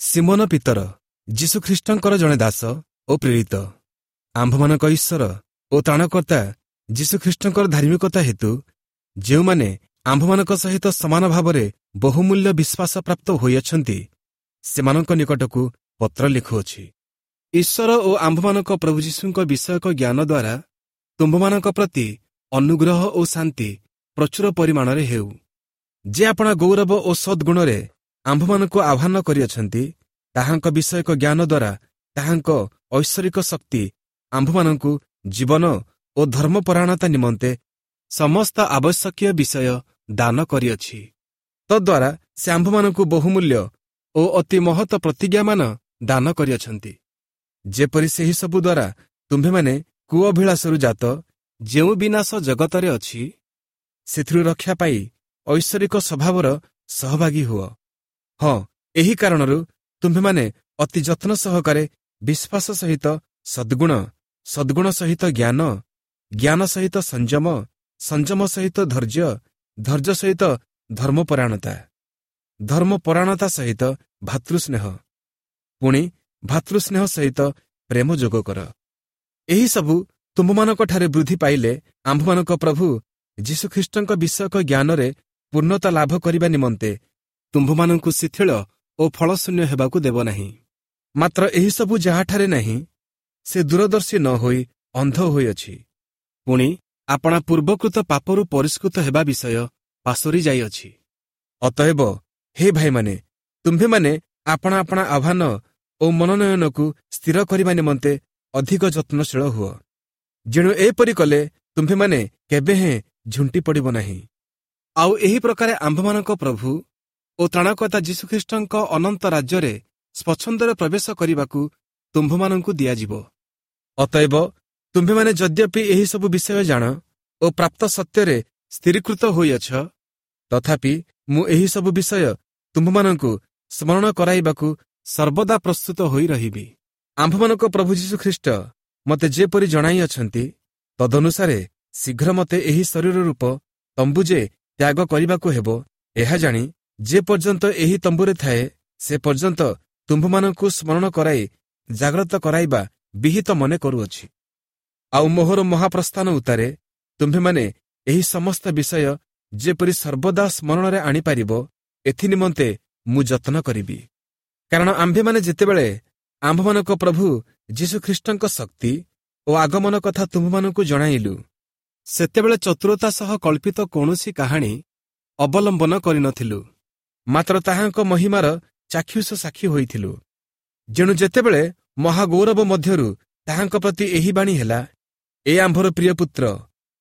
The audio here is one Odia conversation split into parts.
ସିମୋନ ପିତର, ଯୀଶୁଖ୍ରୀଷ୍ଟଙ୍କର ଜଣେ ଦାସ ଓ ପ୍ରେରିତ, ଆମ୍ଭମାନଙ୍କ ଈଶ୍ୱର ଓ ତ୍ରାଣକର୍ତ୍ତା ଯୀଶୁଖ୍ରୀଷ୍ଟଙ୍କର ଧାର୍ମିକତା ହେତୁ ଯେଉଁମାନେ ଆମ୍ଭମାନଙ୍କ ସହିତ ସମାନ ଭାବରେ ବହୁମୂଲ୍ୟ ବିଶ୍ୱାସ ପ୍ରାପ୍ତ ହୋଇଅଛନ୍ତି, ସେମାନଙ୍କ ନିକଟକୁ ପତ୍ର ଲେଖୁଅଛି। ଈଶ୍ୱର ଓ ଆମ୍ଭମାନଙ୍କ ପ୍ରଭୁ ଯୀଶୁଙ୍କ ବିଷୟକ ଜ୍ଞାନ ଦ୍ୱାରା ତୁମ୍ଭମାନଙ୍କ ପ୍ରତି ଅନୁଗ୍ରହ ଓ ଶାନ୍ତି ପ୍ରଚୁର ପରିମାଣରେ ହେଉ। ଯେ ଆପଣା ଗୌରବ ଓ ସଦ୍ଗୁଣରେ ଆମ୍ଭମାନଙ୍କୁ ଆହ୍ୱାନ କରିଅଛନ୍ତି, ତାହାଙ୍କ ବିଷୟକ ଜ୍ଞାନ ଦ୍ୱାରା ତାହାଙ୍କ ଐଶ୍ୱରିକ ଶକ୍ତି ଆମ୍ଭମାନଙ୍କୁ ଜୀବନ ଓ ଧର୍ମପରାୟଣତା ନିମନ୍ତେ ସମସ୍ତ ଆବଶ୍ୟକୀୟ ବିଷୟ ଦାନ କରିଅଛି। ତଦ୍ୱାରା ସେ ଆମ୍ଭମାନଙ୍କୁ ବହୁମୂଲ୍ୟ ଓ ଅତି ମହତ ପ୍ରତିଜ୍ଞାମାନ ଦାନ କରିଅଛନ୍ତି, ଯେପରି ସେହିସବୁ ଦ୍ୱାରା ତୁମ୍ଭେମାନେ କୁଅଭିଳାଷରୁ ଜାତ ଯେଉଁ ବିନାଶ ଜଗତରେ ଅଛି, ସେଥିରୁ ରକ୍ଷା ପାଇ ଐଶ୍ୱରିକ ସ୍ୱଭାବର ସହଭାଗୀ ହୁଅ। ହଁ, ଏହି କାରଣରୁ ତୁମ୍ଭେମାନେ ଅତି ଯତ୍ନ ସହକାରେ ବିଶ୍ୱାସ ସହିତ ସଦ୍ଗୁଣ, ସଦ୍ଗୁଣ ସହିତ ଜ୍ଞାନ, ଜ୍ଞାନ ସହିତ ସଂଯମ, ସଂଯମ ସହିତ ଧୈର୍ଯ୍ୟ, ଧୈର୍ଯ୍ୟ ସହିତ ଧର୍ମପରାୟଣତା, ଧର୍ମପରାୟଣତା ସହିତ ଭାତୃସ୍ନେହ, ପୁଣି ଭାତୃସ୍ନେହ ସହିତ ପ୍ରେମ ଯୋଗ କର। ଏହିସବୁ ତୁମ୍ଭମାନଙ୍କଠାରେ ବୃଦ୍ଧି ପାଇଲେ ଆମ୍ଭମାନଙ୍କ ପ୍ରଭୁ ଯୀଶୁଖ୍ରୀଷ୍ଟଙ୍କ ବିଷୟକ ଜ୍ଞାନରେ ପୂର୍ଣ୍ଣତା ଲାଭ କରିବା ନିମନ୍ତେ ତୁମ୍ଭମାନଙ୍କୁ ଶିଥିଳ ଓ ଫଳଶୂନ୍ୟ ହେବାକୁ ଦେବ ନାହିଁ। ମାତ୍ର ଏହିସବୁ ଯାହାଠାରେ ନାହିଁ, ସେ ଦୂରଦର୍ଶୀ ନ ହୋଇ ଅନ୍ଧ ହୋଇଅଛି, ପୁଣି ଆପଣା ପୂର୍ବକୃତ ପାପରୁ ପରିଷ୍କୃତ ହେବା ବିଷୟ ପାଶୋରି ଯାଇଅଛି। ଅତଏବ ହେ ଭାଇମାନେ, ତୁମ୍ଭେମାନେ ଆପଣା ଆପଣା ଆହ୍ୱାନ ଓ ମନୋନୟନକୁ ସ୍ଥିର କରିବା ନିମନ୍ତେ ଅଧିକ ଯତ୍ନଶୀଳ ହୁଅ। ଯେଣୁ ଏପରି କଲେ ତୁମ୍ଭେମାନେ କେବେ ହେଁ ଝୁଣ୍ଟି ପଡ଼ିବ ନାହିଁ। ଆଉ ଏହି ପ୍ରକାରେ ଆମ୍ଭମାନଙ୍କ ପ୍ରଭୁ ଓ ତ୍ରାଣକର୍ତ୍ତା ଯୀଶୁଖ୍ରୀଷ୍ଟଙ୍କ ଅନନ୍ତ ରାଜ୍ୟରେ ସ୍ୱଚ୍ଛନ୍ଦରେ ପ୍ରବେଶ କରିବାକୁ ତୁମ୍ଭମାନଙ୍କୁ ଦିଆଯିବ। ଅତଏବ ତୁମ୍ଭେମାନେ ଯଦ୍ୟପି ଏହିସବୁ ବିଷୟ ଜାଣ ଓ ପ୍ରାପ୍ତ ସତ୍ୟରେ ସ୍ଥିରୀକୃତ ହୋଇଅଛ, ତଥାପି ମୁଁ ଏହିସବୁ ବିଷୟ ତୁମ୍ଭମାନଙ୍କୁ ସ୍ମରଣ କରାଇବାକୁ ସର୍ବଦା ପ୍ରସ୍ତୁତ ହୋଇ ରହିବି। ଆମ୍ଭମାନଙ୍କ ପ୍ରଭୁ ଯୀଶୁଖ୍ରୀଷ୍ଟ ମୋତେ ଯେପରି ଜଣାଇଅଛନ୍ତି, ତଦନୁସାରେ ଶୀଘ୍ର ମୋତେ ଏହି ଶରୀର ରୂପ ତମ୍ବୁ ଯେ ତ୍ୟାଗ କରିବାକୁ ହେବ, ଏହା ଜାଣି ଯେ ପର୍ଯ୍ୟନ୍ତ ଏହି ତମ୍ବୁରେ ଥାଏ, ସେ ପର୍ଯ୍ୟନ୍ତ ତୁମ୍ଭମାନଙ୍କୁ ସ୍ମରଣ କରାଇ ଜାଗ୍ରତ କରାଇବା ବିହିତ ମନେ କରୁଅଛି। ଆଉ ମୋହର ମହାପ୍ରସ୍ଥାନ ଉତ୍ତାରେ ତୁମ୍ଭେମାନେ ଏହି ସମସ୍ତ ବିଷୟ ଯେପରି ସର୍ବଦା ସ୍ମରଣରେ ଆଣିପାରିବ, ଏଥିନିମନ୍ତେ ମୁଁ ଯତ୍ନ କରିବି। କାରଣ ଆମ୍ଭେମାନେ ଯେତେବେଳେ ଆମ୍ଭମାନଙ୍କ ପ୍ରଭୁ ଯୀଶୁଖ୍ରୀଷ୍ଟଙ୍କ ଶକ୍ତି ଓ ଆଗମନ କଥା ତୁମ୍ଭମାନଙ୍କୁ ଜଣାଇଲୁ, ସେତେବେଳେ ଚତୁରତା ସହ କଳ୍ପିତ କୌଣସି କାହାଣୀ ଅବଲମ୍ବନ କରିନଥିଲୁ, ମାତ୍ର ତାହାଙ୍କ ମହିମାର ଚାକ୍ଷୁଷ ସାକ୍ଷୀ ହୋଇଥିଲୁ। ଯେଣୁ ଯେତେବେଳେ ମହାଗୌରବ ମଧ୍ୟରୁ ତାହାଙ୍କ ପ୍ରତି ଏହି ବାଣୀ ହେଲା, ଏ ଆମ୍ଭର ପ୍ରିୟ ପୁତ୍ର,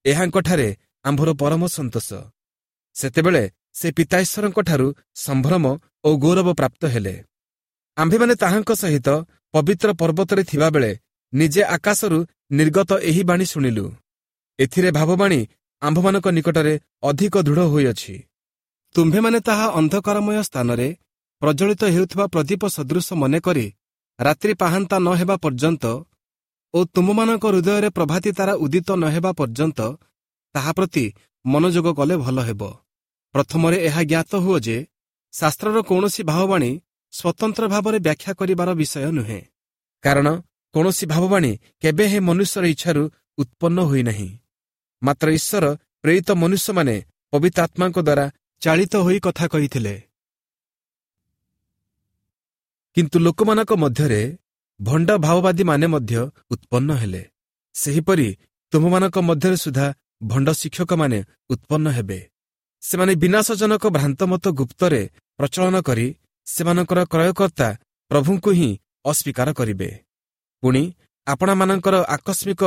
ଏହାଙ୍କଠାରେ ଆମ୍ଭର ପରମ ସନ୍ତୋଷ, ସେତେବେଳେ ସେ ପିତାଈଶ୍ୱରଙ୍କଠାରୁ ସମ୍ଭ୍ରମ ଓ ଗୌରବ ପ୍ରାପ୍ତ ହେଲେ। ଆମ୍ଭେମାନେ ତାହାଙ୍କ ସହିତ ପବିତ୍ର ପର୍ବତରେ ଥିବାବେଳେ ନିଜେ ଆକାଶରୁ ନିର୍ଗତ ଏହି ବାଣୀ ଶୁଣିଲୁ। ଏଥିରେ ଭାବବାଣୀ ଆମ୍ଭମାନଙ୍କ ନିକଟରେ ଅଧିକ ଦୃଢ଼ ହୋଇଅଛି। ତୁମ୍ଭେମାନେ ତାହା ଅନ୍ଧକାରମୟ ସ୍ଥାନରେ ପ୍ରଜ୍ୱଳିତ ହେଉଥିବା ପ୍ରଦୀପ ସଦୃଶ ମନେକରି ରାତ୍ରି ପାହାନ୍ତା ନ ହେବା ପର୍ଯ୍ୟନ୍ତ ଓ ତୁମମାନଙ୍କ ହୃଦୟରେ ପ୍ରଭାତୀ ତାରା ଉଦିତ ନ ହେବା ପର୍ଯ୍ୟନ୍ତ ତାହା ପ୍ରତି ମନୋଯୋଗ କଲେ ଭଲ ହେବ। ପ୍ରଥମରେ ଏହା ଜ୍ଞାତ ହୁଅ ଯେ ଶାସ୍ତ୍ରର କୌଣସି ଭାବବାଣୀ ସ୍ୱତନ୍ତ୍ର ଭାବରେ ବ୍ୟାଖ୍ୟା କରିବାର ବିଷୟ ନୁହେଁ, କାରଣ କୌଣସି ଭାବବାଣୀ କେବେ ହେଁ ମନୁଷ୍ୟର ଇଚ୍ଛାରୁ ଉତ୍ପନ୍ନ ହୋଇନାହିଁ, ମାତ୍ର ଈଶ୍ୱର ପ୍ରେରିତ ମନୁଷ୍ୟମାନେ ପବିତ୍ର ଆତ୍ମାଙ୍କ ଦ୍ୱାରା ଚାଳିତ ହୋଇ କଥା କହିଥିଲେ। କିନ୍ତୁ ଲୋକମାନଙ୍କ ମଧ୍ୟରେ ଭଣ୍ଡ ଭାବବାଦୀମାନେ ମଧ୍ୟ ଉତ୍ପନ୍ନ ହେଲେ, ସେହିପରି ତୁମମାନଙ୍କ ମଧ୍ୟରେ ସୁଦ୍ଧା ଭଣ୍ଡ ଶିକ୍ଷକମାନେ ଉତ୍ପନ୍ନ ହେବେ। ସେମାନେ ବିନାଶଜନକ ଭ୍ରାନ୍ତମତ ଗୁପ୍ତରେ ପ୍ରଚଳନ କରି ସେମାନଙ୍କର କ୍ରୟକର୍ତ୍ତା ପ୍ରଭୁଙ୍କୁ ହିଁ ଅସ୍ୱୀକାର କରିବେ, ପୁଣି ଆପଣାମାନଙ୍କର ଆକସ୍ମିକ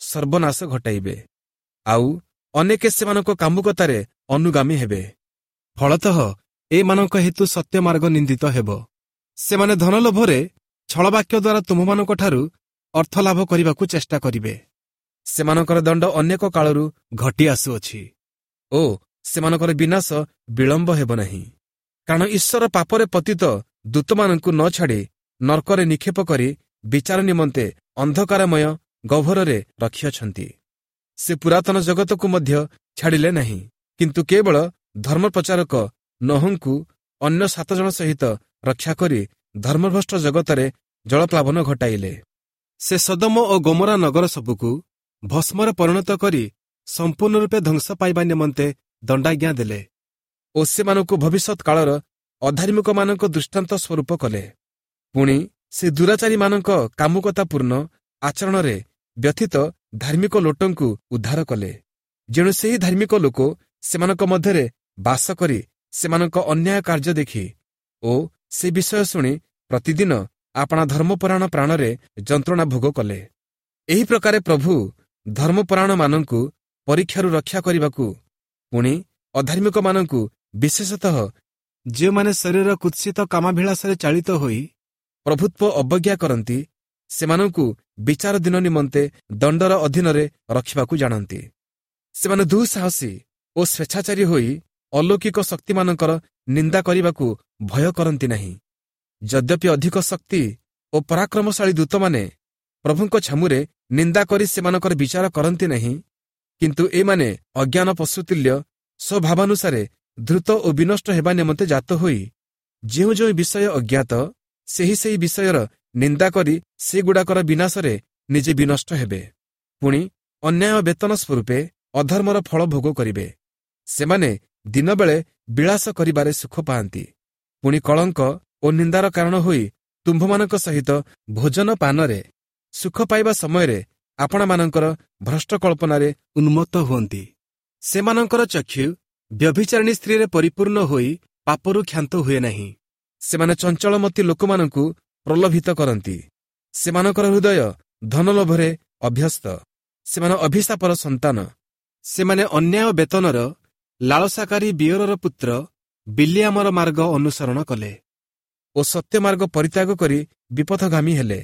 ସର୍ବନାଶ ଘଟାଇବେ। ଆଉ ଅନେକେ ସେମାନଙ୍କ କାମୁକତାରେ ଅନୁଗାମୀ ହେବେ। ଫଳତଃ ଏମାନଙ୍କ ହେତୁ ସତ୍ୟମାର୍ଗ ନିନ୍ଦିତ ହେବ। ସେମାନେ ଧନଲୋଭରେ ଛଳବାକ୍ୟ ଦ୍ୱାରା ତୁମମାନଙ୍କଠାରୁ ଅର୍ଥ ଲାଭ କରିବାକୁ ଚେଷ୍ଟା କରିବେ। ସେମାନଙ୍କର ଦଣ୍ଡ ଅନେକ କାଳରୁ ଘଟି ଆସୁଅଛି ଓ ସେମାନଙ୍କର ବିନାଶ ବିଳମ୍ବ ହେବ ନାହିଁ। କାରଣ ଈଶ୍ୱର ପାପରେ ପତିତ ଦୂତମାନଙ୍କୁ ନ ଛାଡ଼ି ନର୍କରେ ନିକ୍ଷେପ କରି ବିଚାର ନିମନ୍ତେ ଅନ୍ଧକାରମୟ ଗହ୍ୱରରେ ରଖିଅଛନ୍ତି। ସେ ପୁରାତନ ଜଗତକୁ ମଧ୍ୟ ଛାଡ଼ିଲେ ନାହିଁ, କିନ୍ତୁ କେବଳ ଧର୍ମପ୍ରଚାରକ ନୋହଙ୍କୁ ଅନ୍ୟ 7 ଜଣ ସହିତ ରକ୍ଷା କରି ଧର୍ମଭ୍ରଷ୍ଟ ଜଗତରେ ଜଳପ୍ଲାବନ ଘଟାଇଲେ। ସେ ସଦମ ଓ ଗୋମରା ନଗର ସବୁକୁ ଭସ୍ମରେ ପରିଣତ କରି ସମ୍ପୂର୍ଣ୍ଣ ରୂପେ ଧ୍ୱଂସ ପାଇବା ନିମନ୍ତେ ଦଣ୍ଡାଜ୍ଞା ଦେଲେ ଓ ସେମାନଙ୍କୁ ଭବିଷ୍ୟତ କାଳର ଅଧାର୍ମିକମାନଙ୍କ ଦୃଷ୍ଟାନ୍ତ ସ୍ୱରୂପ କଲେ। ପୁଣି ସେ ଦୁରାଚାରୀମାନଙ୍କ କାମୁକତାପୂର୍ଣ୍ଣ ଆଚରଣରେ ବ୍ୟଥିତ ଧାର୍ମିକ ଲୋଟଙ୍କୁ ଉଦ୍ଧାର କଲେ। ଯେଣୁ ସେହି ଧାର୍ମିକ ଲୋକ ସେମାନଙ୍କ ମଧ୍ୟରେ ବାସ କରି ସେମାନଙ୍କ ଅନ୍ୟାୟ କାର୍ଯ୍ୟ ଦେଖି ଓ ସେ ବିଷୟ ଶୁଣି ପ୍ରତିଦିନ ଆପଣା ଧର୍ମପରାୟଣ ପ୍ରାଣରେ ଯନ୍ତ୍ରଣା ଭୋଗ କଲେ। ଏହି ପ୍ରକାରେ ପ୍ରଭୁ ଧର୍ମପରାୟଣମାନଙ୍କୁ ପରୀକ୍ଷାରୁ ରକ୍ଷା କରିବାକୁ, ପୁଣି ଅଧାର୍ମିକମାନଙ୍କୁ, ବିଶେଷତଃ ଯେଉଁମାନେ ଶରୀରର କୁତ୍ସିତ କାମାଭିଳାଷରେ ଚାଳିତ ହୋଇ ପ୍ରଭୁତ୍ୱ ଅବଜ୍ଞା କରନ୍ତି, ସେମାନଙ୍କୁ ବିଚାର ଦିନ ନିମନ୍ତେ ଦଣ୍ଡର ଅଧୀନରେ ରଖିବାକୁ ଜାଣନ୍ତି। ସେମାନେ ଦୁଃସାହସୀ ଓ ସ୍ୱେଚ୍ଛାଚାରୀ ହୋଇ ଅଲୌକିକ ଶକ୍ତିମାନଙ୍କର ନିନ୍ଦା କରିବାକୁ ଭୟ କରନ୍ତି ନାହିଁ। ଯଦ୍ୟପି ଅଧିକ ଶକ୍ତି ଓ ପରାକ୍ରମଶାଳୀ ଦୂତମାନେ ପ୍ରଭୁଙ୍କ ଛାମୁରେ ନିନ୍ଦା କରି ସେମାନଙ୍କର ବିଚାର କରନ୍ତି ନାହିଁ, କିନ୍ତୁ ଏମାନେ ଅଜ୍ଞାନ ପଶୁତୁଲ୍ୟ ସ୍ୱଭାବାନୁସାରେ ଦ୍ରୁତ ଓ ବିନଷ୍ଟ ହେବା ନିମନ୍ତେ ଜାତ ହୋଇ ଯେଉଁ ଯେଉଁ ବିଷୟ ଅଜ୍ଞାତ, ସେହି ସେହି ବିଷୟର ନିନ୍ଦା କରି ସେଗୁଡ଼ାକର ବିନାଶରେ ନିଜେ ବିନଷ୍ଟ ହେବେ। ପୁଣି ଅନ୍ୟାୟ ବେତନ ସ୍ୱରୂପେ ଅଧର୍ମର ଫଳ ଭୋଗ କରିବେ। ସେମାନେ ଦିନବେଳେ ବିଳାସ କରିବାରେ ସୁଖ ପାଆନ୍ତି, ପୁଣି କଳଙ୍କ ଓ ନିନ୍ଦାର କାରଣ ହୋଇ ତୁମ୍ଭମାନଙ୍କ ସହିତ ଭୋଜନ ପାନରେ ସୁଖ ପାଇବା ସମୟରେ ଆପଣାମାନଙ୍କର ଭ୍ରଷ୍ଟ କଳ୍ପନାରେ ଉନ୍ମତ୍ତ ହୁଅନ୍ତି। ସେମାନଙ୍କର ଚକ୍ଷୁ ବ୍ୟଭିଚାରିଣୀ ସ୍ତ୍ରୀରେ ପରିପୂର୍ଣ୍ଣ ହୋଇ ପାପରୁ କ୍ଷାନ୍ତ ହୁଏ ନାହିଁ। ସେମାନେ ଚଞ୍ଚଳମତି ଲୋକମାନଙ୍କୁ ପ୍ରଲୋଭିତ କରନ୍ତି। ସେମାନଙ୍କର ହୃଦୟ ଧନଲୋଭରେ ଅଭ୍ୟସ୍ତ। ସେମାନେ ଅଭିଶାପର ସନ୍ତାନ। ସେମାନେ ଅନ୍ୟାୟ ବେତନର ଲାଳସାକାରୀ ବିୟରର ପୁତ୍ର ବିଲିଆମର ମାର୍ଗ ଅନୁସରଣ କଲେ ଓ ସତ୍ୟମାର୍ଗ ପରିତ୍ୟାଗ କରି ବିପଥଗାମୀ ହେଲେ।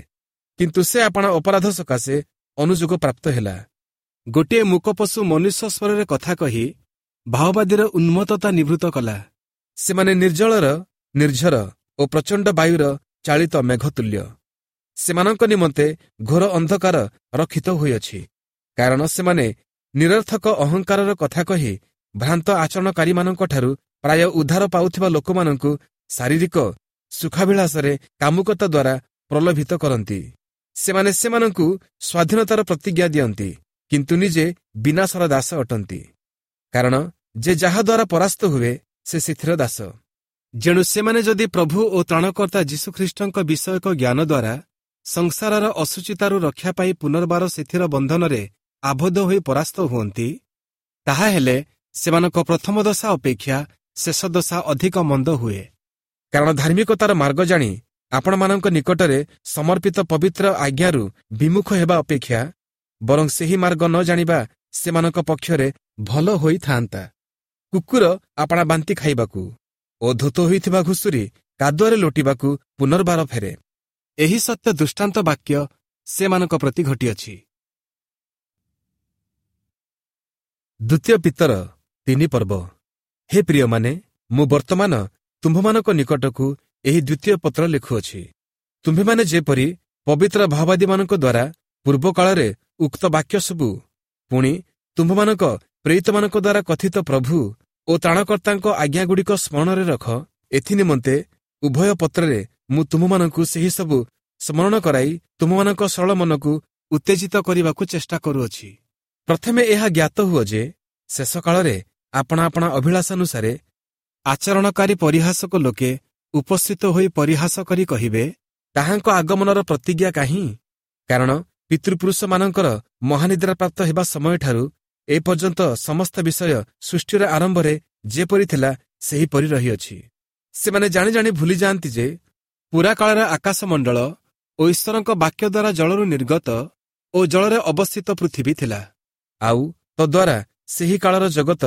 କିନ୍ତୁ ସେ ଆପଣା ଅପରାଧ ସକାଶେ ଅନୁଯୋଗ ପ୍ରାପ୍ତ ହେଲା। ଗୋଟିଏ ମୂକପଶୁ ମନୁଷ୍ୟ ସ୍ୱରରେ କଥା କହି ଭାଓବାଦୀର ଉନ୍ମତ୍ତତା ନିବୃତ୍ତ କଲା। ସେମାନେ ନିର୍ଜଳର ନିର୍ଝର ଓ ପ୍ରଚଣ୍ଡ ବାୟୁର ଚାଳିତ ମେଘତୁଲ୍ୟ। ସେମାନଙ୍କ ନିମନ୍ତେ ଘୋର ଅନ୍ଧକାର ରକ୍ଷିତ ହୋଇଅଛି, କାରଣ ସେମାନେ ନିରର୍ଥକ ଅହଙ୍କାରର କଥା କହି ଭ୍ରାନ୍ତ ଆଚରଣକାରୀମାନଙ୍କଠାରୁ ପ୍ରାୟ ଉଦ୍ଧାର ପାଉଥିବା ଲୋକମାନଙ୍କୁ ଶାରୀରିକ ସୁଖାଭିଳାଷରେ କାମୁକତା ଦ୍ୱାରା ପ୍ରଲୋଭିତ କରନ୍ତି। ସେମାନେ ସେମାନଙ୍କୁ ସ୍ୱାଧୀନତାର ପ୍ରତିଜ୍ଞା ଦିଅନ୍ତି, କିନ୍ତୁ ନିଜେ ବିନାଶର ଦାସ ଅଟନ୍ତି, କାରଣ ଯେ ଯାହାଦ୍ୱାରା ପରାସ୍ତ ହୁଏ ସେ ସେଥିର ଦାସ। ଯେଣୁ ସେମାନେ ଯଦି ପ୍ରଭୁ ଓ ତ୍ରାଣକର୍ତ୍ତା ଯୀଶୁଖ୍ରୀଷ୍ଟଙ୍କ ବିଷୟକ ଜ୍ଞାନ ଦ୍ୱାରା ସଂସାରର ଅଶୁଚିତାରୁ ରକ୍ଷା ପାଇ ପୁନର୍ବାର ସେଥିର ବନ୍ଧନରେ ଆବଦ୍ଧ ହୋଇ ପରାସ୍ତ ହୁଅନ୍ତି, ତାହାହେଲେ ସେମାନଙ୍କ ପ୍ରଥମ ଦଶା ଅପେକ୍ଷା ଶେଷ ଦଶା ଅଧିକ ମନ୍ଦ ହୁଏ। କାରଣ ଧାର୍ମିକତାର ମାର୍ଗ ଜାଣି ଆପଣମାନଙ୍କ ନିକଟରେ ସମର୍ପିତ ପବିତ୍ର ଆଜ୍ଞାରୁ ବିମୁଖ ହେବା ଅପେକ୍ଷା ବରଂ ସେହି ମାର୍ଗ ନ ଜାଣିବା ସେମାନଙ୍କ ପକ୍ଷରେ ଭଲ ହୋଇଥାନ୍ତା। କୁକୁର ଆପଣା ବାନ୍ତି ଖାଇବାକୁ ଓ ଧୋତ ହୋଇଥିବା ଘୁଷୁରୀ କାଦୁଅରେ ଲୋଟିବାକୁ ପୁନର୍ବାର ଫେରେ। ଏହି ସତ୍ୟ ଦୃଷ୍ଟାନ୍ତ ବାକ୍ୟ ସେମାନଙ୍କ ପ୍ରତି ଘଟିଅଛି। ଦ୍ୱିତୀୟ ପିତର 3 ପର୍ବ। ହେ ପ୍ରିୟମାନେ, ମୁଁ ବର୍ତ୍ତମାନ ତୁମ୍ଭମାନଙ୍କ ନିକଟକୁ ଏହି ଦ୍ୱିତୀୟ ପତ୍ର ଲେଖୁଅଛି। ତୁମ୍ଭେମାନେ ଯେପରି ପବିତ୍ର ଭାଓବାଦୀମାନଙ୍କ ଦ୍ୱାରା ପୂର୍ବକାଳରେ ଉକ୍ତ ବାକ୍ୟ ସବୁ, ପୁଣି ତୁମ୍ଭମାନଙ୍କ ପ୍ରେରିତମାନଙ୍କ ଦ୍ୱାରା କଥିତ ପ୍ରଭୁ ଓ ତ୍ରାଣକର୍ତ୍ତାଙ୍କ ଆଜ୍ଞାଗୁଡ଼ିକ ସ୍ମରଣରେ ରଖ, ଏଥିନିମନ୍ତେ ଉଭୟ ପତ୍ରରେ ମୁଁ ତୁମ୍ଭମାନଙ୍କୁ ସେହି ସବୁ ସ୍ମରଣ କରାଇ ତୁମ୍ଭମାନଙ୍କ ସରଳ ମନକୁ ଉତ୍ତେଜିତ କରିବାକୁ ଚେଷ୍ଟା କରୁଅଛି। ପ୍ରଥମେ ଏହା ଜ୍ଞାତ ହୁଅ ଯେ ଶେଷ କାଳରେ ଆପଣା ଆପଣା ଅଭିଳାଷାନୁସାରେ ଆଚରଣକାରୀ ପରିହାସକ ଲୋକେ ଉପସ୍ଥିତ ହୋଇ ପରିହାସ କରି କହିବେ, ତାହାଙ୍କ ଆଗମନର ପ୍ରତିଜ୍ଞା କାହିଁ? କାରଣ ପିତୃପୁରୁଷମାନଙ୍କର ମହାନିଦ୍ରା ପ୍ରାପ୍ତ ହେବା ସମୟଠାରୁ ଏପର୍ଯ୍ୟନ୍ତ ସମସ୍ତ ବିଷୟ ସୃଷ୍ଟିର ଆରମ୍ଭରେ ଯେପରି ଥିଲା ସେହିପରି ରହିଅଛି। ସେମାନେ ଜାଣି ଜାଣି ଭୁଲିଯାଆନ୍ତି ଯେ ପୁରାକାଳରେ ଆକାଶମଣ୍ଡଳ ଓ ଈଶ୍ୱରଙ୍କ ବାକ୍ୟ ଦ୍ୱାରା ଜଳରୁ ନିର୍ଗତ ଓ ଜଳରେ ଅବସ୍ଥିତ ପୃଥିବୀ ଥିଲା, ଆଉ ତଦ୍ୱାରା ସେହି କାଳର ଜଗତ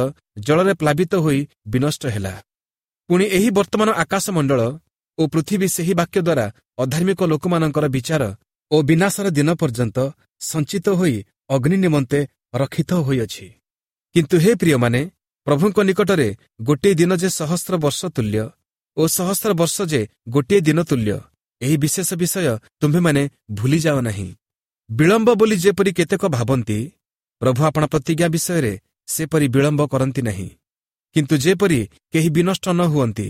ଜଳରେ ପ୍ଲାବିତ ହୋଇ ବିନଷ୍ଟ ହେଲା। ପୁଣି ଏହି ବର୍ତ୍ତମାନ ଆକାଶମଣ୍ଡଳ ଓ ପୃଥିବୀ ସେହି ବାକ୍ୟ ଦ୍ୱାରା ଅଧାର୍ମିକ ଲୋକମାନଙ୍କର ବିଚାର ଓ ବିନାଶର ଦିନ ପର୍ଯ୍ୟନ୍ତ ସଞ୍ଚିତ ହୋଇ ଅଗ୍ନି ନିମନ୍ତେ ରକ୍ଷିତ ହୋଇଅଛି। କିନ୍ତୁ ହେ ପ୍ରିୟମାନେ, ପ୍ରଭୁଙ୍କ ନିକଟରେ ଗୋଟିଏ ଦିନ ଯେ ସହସ୍ର ବର୍ଷ ତୁଲ୍ୟ ଓ ସହସ୍ର ବର୍ଷ ଯେ ଗୋଟିଏ ଦିନ ତୁଲ୍ୟ, ଏହି ବିଶେଷ ବିଷୟ ତୁମ୍ଭେମାନେ ଭୁଲିଯାଅ ନାହିଁ। ବିଳମ୍ବ ବୋଲି ଯେପରି କେତେକ ଭାବନ୍ତି, ପ୍ରଭୁ ଆପଣା ପ୍ରତିଜ୍ଞା ବିଷୟରେ ସେପରି ବିଳମ୍ବ କରନ୍ତି ନାହିଁ, କିନ୍ତୁ ଯେପରି କେହି ବିନଷ୍ଟ ନ ହୁଅନ୍ତି,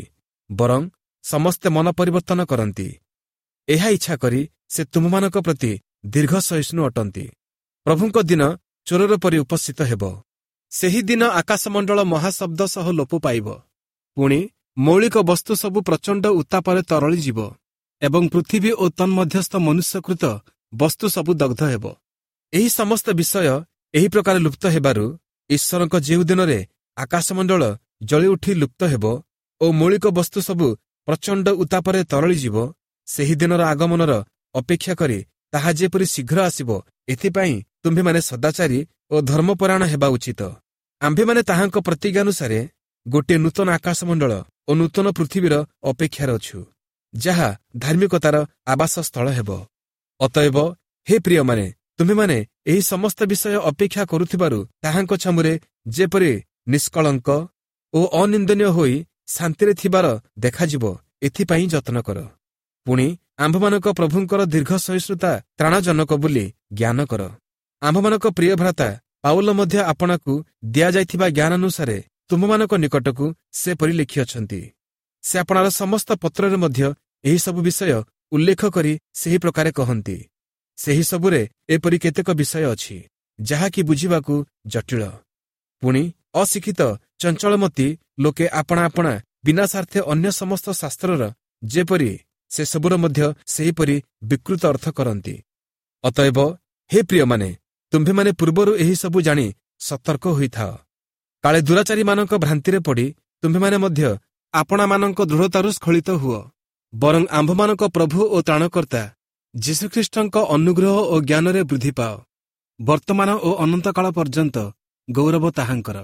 ବରଂ ସମସ୍ତେ ମନ ପରିବର୍ତ୍ତନ କରନ୍ତି, ଏହା ଇଚ୍ଛା କରି ସେ ତୁମମାନଙ୍କ ପ୍ରତି ଦୀର୍ଘ ସହିଷ୍ଣୁ ଅଟନ୍ତି। ପ୍ରଭୁଙ୍କ ଦିନ ଚୋରର ପରି ଉପସ୍ଥିତ ହେବ। ସେହି ଦିନ ଆକାଶମଣ୍ଡଳ ମହାଶବ୍ଦ ସହ ଲୋପ ପାଇବ, ପୁଣି ମୌଳିକ ବସ୍ତୁ ସବୁ ପ୍ରଚଣ୍ଡ ଉତ୍ତାପରେ ତରଳିଯିବ ଏବଂ ପୃଥିବୀ ଓ ତନ୍ମଧ୍ୟସ୍ଥ ମନୁଷ୍ୟକୃତ ବସ୍ତୁ ସବୁ ଦଗ୍ଧ ହେବ। ଏହି ସମସ୍ତ ବିଷୟ ଏହି ପ୍ରକାର ଲୁପ୍ତ ହେବାରୁ ଈଶ୍ୱରଙ୍କ ଯେଉଁ ଦିନରେ ଆକାଶମଣ୍ଡଳ ଜଳି ଉଠି ଲୁପ୍ତ ହେବ ଓ ମୌଳିକ ବସ୍ତୁ ସବୁ ପ୍ରଚଣ୍ଡ ଉତ୍ତାପରେ ତରଳିଯିବ, ସେହି ଦିନର ଆଗମନର ଅପେକ୍ଷା କରି ତାହା ଯେପରି ଶୀଘ୍ର ଆସିବ, ଏଥିପାଇଁ ତୁମ୍ଭେମାନେ ସଦାଚାରୀ ଓ ଧର୍ମପରାୟଣ ହେବା ଉଚିତ। ଆମ୍ଭେମାନେ ତାହାଙ୍କ ପ୍ରତିଜ୍ଞାନୁସାରେ ଗୋଟିଏ ନୂତନ ଆକାଶମଣ୍ଡଳ ଓ ନୂତନ ପୃଥିବୀର ଅପେକ୍ଷାରେ ଅଛୁ, ଯାହା ଧାର୍ମିକତାର ଆବାସ ସ୍ଥଳ ହେବ। ଅତଏବ ହେ ପ୍ରିୟମାନେ, ତୁମ୍ଭେମାନେ ଏହି ସମସ୍ତ ବିଷୟ ଅପେକ୍ଷା କରୁଥିବାରୁ ତାହାଙ୍କ ଛାମୁରେ ଯେପରି ନିଷ୍କଳଙ୍କ ଓ ଅନିନ୍ଦନୀୟ ହୋଇ ଶାନ୍ତିରେ ଥିବାର ଦେଖାଯିବ, ଏଥିପାଇଁ ଯତ୍ନ କର। ପୁଣି ଆମ୍ଭମାନଙ୍କ ପ୍ରଭୁଙ୍କର ଦୀର୍ଘ ସହିଷ୍ଣୁତା ତ୍ରାଣଜନକ ବୋଲି ଜ୍ଞାନ କର। ଆମ୍ଭମାନଙ୍କ ପ୍ରିୟ ଭ୍ରାତା ପାଉଲ ମଧ୍ୟ ଆପଣାକୁ ଦିଆଯାଇଥିବା ଜ୍ଞାନାନୁସାରେ ତୁମମାନଙ୍କ ନିକଟକୁ ସେପରି ଲେଖିଅଛନ୍ତି। ସେ ଆପଣାର ସମସ୍ତ ପତ୍ରରେ ମଧ୍ୟ ଏହିସବୁ ବିଷୟ ଉଲ୍ଲେଖ କରି ସେହି ପ୍ରକାରେ କହନ୍ତି। ସେହି ସବୁରେ ଏପରି କେତେକ ବିଷୟ ଅଛି, ଯାହାକି ବୁଝିବାକୁ ଜଟିଳ। ପୁଣି ଅଶିକ୍ଷିତ ଚଞ୍ଚଳମତି ଲୋକେ ଆପଣା ଆପଣା ବିନାଶାର୍ଥେ ଅନ୍ୟ ସମସ୍ତ ଶାସ୍ତ୍ରର ଯେପରି, ସେସବୁର ମଧ୍ୟ ସେହିପରି ବିକୃତ ଅର୍ଥ କରନ୍ତି। ଅତଏବ ହେ ପ୍ରିୟମାନେ, ତୁମ୍ଭେମାନେ ପୂର୍ବରୁ ଏହିସବୁ ଜାଣି ସତର୍କ ହୋଇଥାଅ, କାଳେ ଦୁରାଚାରୀମାନଙ୍କ ଭ୍ରାନ୍ତିରେ ପଡ଼ି ତୁମ୍ଭେମାନେ ମଧ୍ୟ ଆପଣାମାନଙ୍କ ଦୃଢ଼ତାରୁ ସ୍ଖଳିତ ହୁଅ। ବରଂ ଆମ୍ଭମାନଙ୍କ ପ୍ରଭୁ ଓ ତ୍ରାଣକର୍ତ୍ତା ଯୀଶୁଖ୍ରୀଷ୍ଟଙ୍କ ଅନୁଗ୍ରହ ଓ ଜ୍ଞାନରେ ବୃଦ୍ଧି ପାଅ। ବର୍ତ୍ତମାନ ଓ ଅନନ୍ତକାଳ ପର୍ଯ୍ୟନ୍ତ ଗୌରବ ତାହାଙ୍କର।